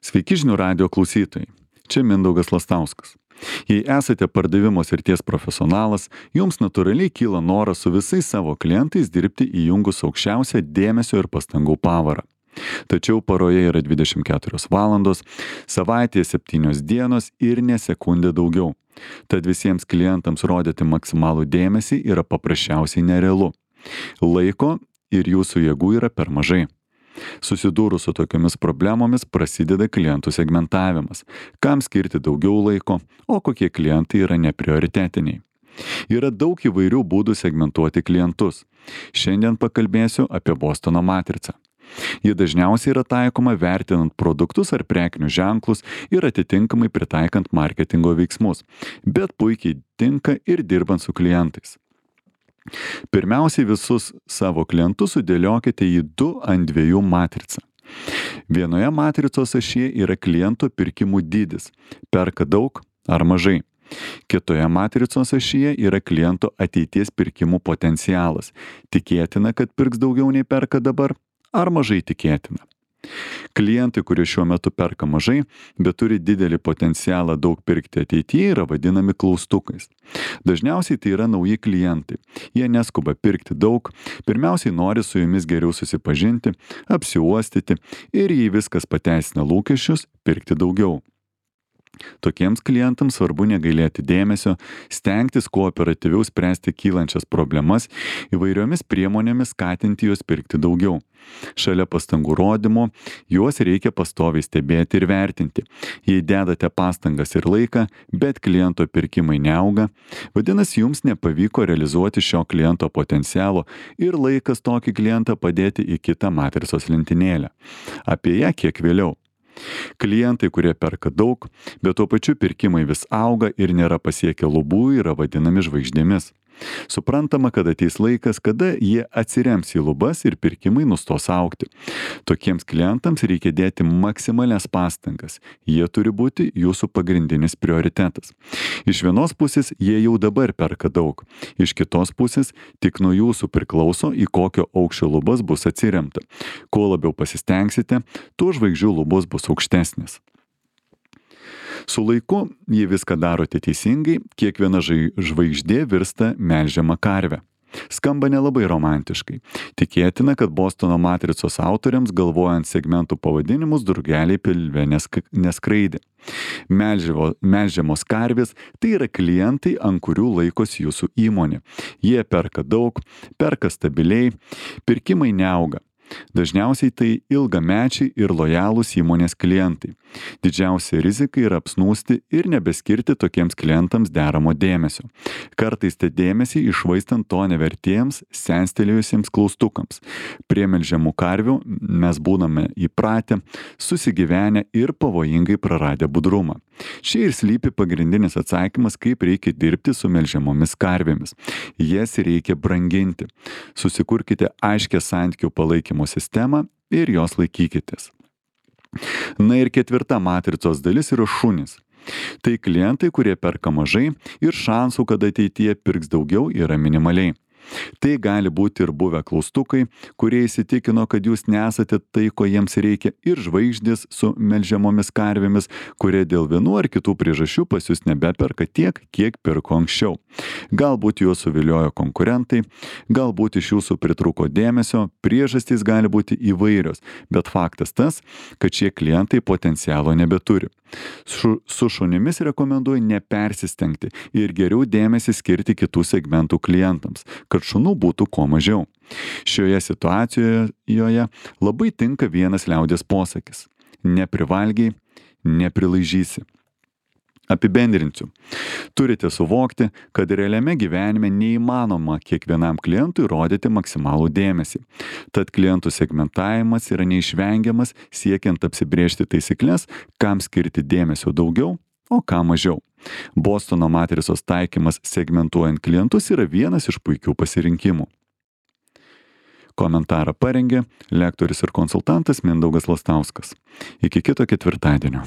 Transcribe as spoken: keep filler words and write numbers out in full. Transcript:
Sveiki žinių radijo klausytojai. Čia Mindaugas Lastauskas. Jei esate pardavimo srities profesionalas, jums natūraliai kyla noras su visais savo klientais dirbti įjungus aukščiausią dėmesio ir pastangų pavarą. Tačiau paroje yra dvidešimt keturios valandos, savaitėje septynios dienos ir ne sekundė daugiau. Tad visiems klientams rodyti maksimalų dėmesį yra paprasčiausiai nerealu. Laiko ir jūsų jėgų yra per mažai. Susidūrus su tokiomis problemomis prasideda klientų segmentavimas, kam skirti daugiau laiko, o kokie klientai yra neprioritetiniai. Yra daug įvairių būdų segmentuoti klientus. Šiandien pakalbėsiu apie Bostono matricą. Ji dažniausiai yra taikoma vertinant produktus ar prekinius ženklus ir atitinkamai pritaikant marketingo veiksmus, bet puikiai tinka ir dirbant su klientais. Pirmiausiai visus savo klientus sudėliokite į du ant dviejų matricą. Vienoje matricos ašyje yra kliento pirkimų dydis – perka daug ar mažai. Kitoje matricos ašyje yra kliento ateities pirkimų potencialas – tikėtina, kad pirks daugiau nei perka dabar ar mažai tikėtina. Klientai, kurie šiuo metu perka mažai, bet turi didelį potencialą daug pirkti ateityje, yra vadinami klaustukais. Dažniausiai tai yra nauji klientai. Jie neskuba pirkti daug, pirmiausiai nori su jumis geriau susipažinti, apsiuostyti ir jei viskas pateisina lūkesčius, pirkti daugiau. Tokiems klientams svarbu negailėti dėmesio, stengtis kuo operatyviau spręsti kylančias problemas, įvairiomis priemonėmis skatinti juos pirkti daugiau. Šalia pastangų rodymo, juos reikia pastoviai stebėti ir vertinti. Jei dedate pastangas ir laiką, bet kliento pirkimai neauga, vadinasi, jums nepavyko realizuoti šio kliento potencialo ir laikas tokį klientą padėti į kitą matricos lentynėlę. Apie ją kiek vėliau. Klientai, kurie perka daug, bet tuo pačiu pirkimai vis auga ir nėra pasiekę lubų, yra vadinami žvaigždėmis. Suprantama, kad ateis laikas, kada jie atsirems į lubas ir pirkimai nustos augti. Tokiems klientams reikia dėti maksimalias pastangas. Jie turi būti jūsų pagrindinis prioritetas. Iš vienos pusės jie jau dabar perka daug. Iš kitos pusės tik nuo jūsų priklauso, į kokio aukščio lubas bus atsiremta. Kuo labiau pasistengsite, tuo žvaigždžių lubos bus aukštesnės. Su laiku, jei viską darote teisingai, kiekviena žvaigždė virsta melžiama karve. Skamba nelabai romantiškai. Tikėtina, kad Bostono matricos autoriams galvojant segmentų pavadinimus drugeliai pilve neskraidė. Melžiamos karvės – tai yra klientai, ant kurių laikosi jūsų įmonė. Jie perka daug, perka stabiliai, pirkimai neauga. Dažniausiai tai ilgamečiai ir lojalūs įmonės klientai. Didžiausia rizika yra apsnūsti ir nebeskirti tokiems klientams deramo dėmesio. Kartais tą dėmesį iššvaistant to nevertiems, senstelėjusiems klaustukams. Prie melžiamų karvių mes būname įpratę, susigyvenę ir pavojingai praradę budrumą. Čia ir slypi pagrindinis atsakymas, kaip reikia dirbti su melžiamomis karvėmis. Jas reikia branginti. Susikurkite aiškę santykių palaikymo sistemą ir jos laikykitės. Na ir ketvirta matricos dalis yra šunys. Tai klientai, kurie perka mažai ir šansų, kad ateityje pirks daugiau, yra minimaliai. Tai gali būti ir buvę klaustukai, kurie įsitikino, kad jūs nesate tai, ko jiems reikia, ir žvaigždės su melžiamomis karvėmis, kurie dėl vienų ar kitų priežasčių pas jūs nebeperka tiek, kiek pirko anksčiau. Galbūt juos suviliojo konkurentai, galbūt iš jūsų pritrūko dėmesio, priežastys gali būti įvairios, bet faktas tas, kad šie klientai potencialo nebeturi. Su, su šunimis rekomenduoju nepersistengti ir geriau dėmesį skirti kitų segmentų klientams, kad šunų būtų kuo mažiau. Šioje situacijoje labai tinka vienas liaudies posakis – neprivalgiai, neprilaižysi. Apibendrinsiu. Turite suvokti, kad realiame gyvenime neįmanoma kiekvienam klientui rodyti maksimalų dėmesį. Tad klientų segmentavimas yra neišvengiamas siekiant apsibrėžti taisyklės, kam skirti dėmesio daugiau, o kam mažiau. Bostono matricos taikymas segmentuojant klientus yra vienas iš puikių pasirinkimų. Komentarą parengė lektorius ir konsultantas Mindaugas Lastauskas. Iki kito ketvirtadienio.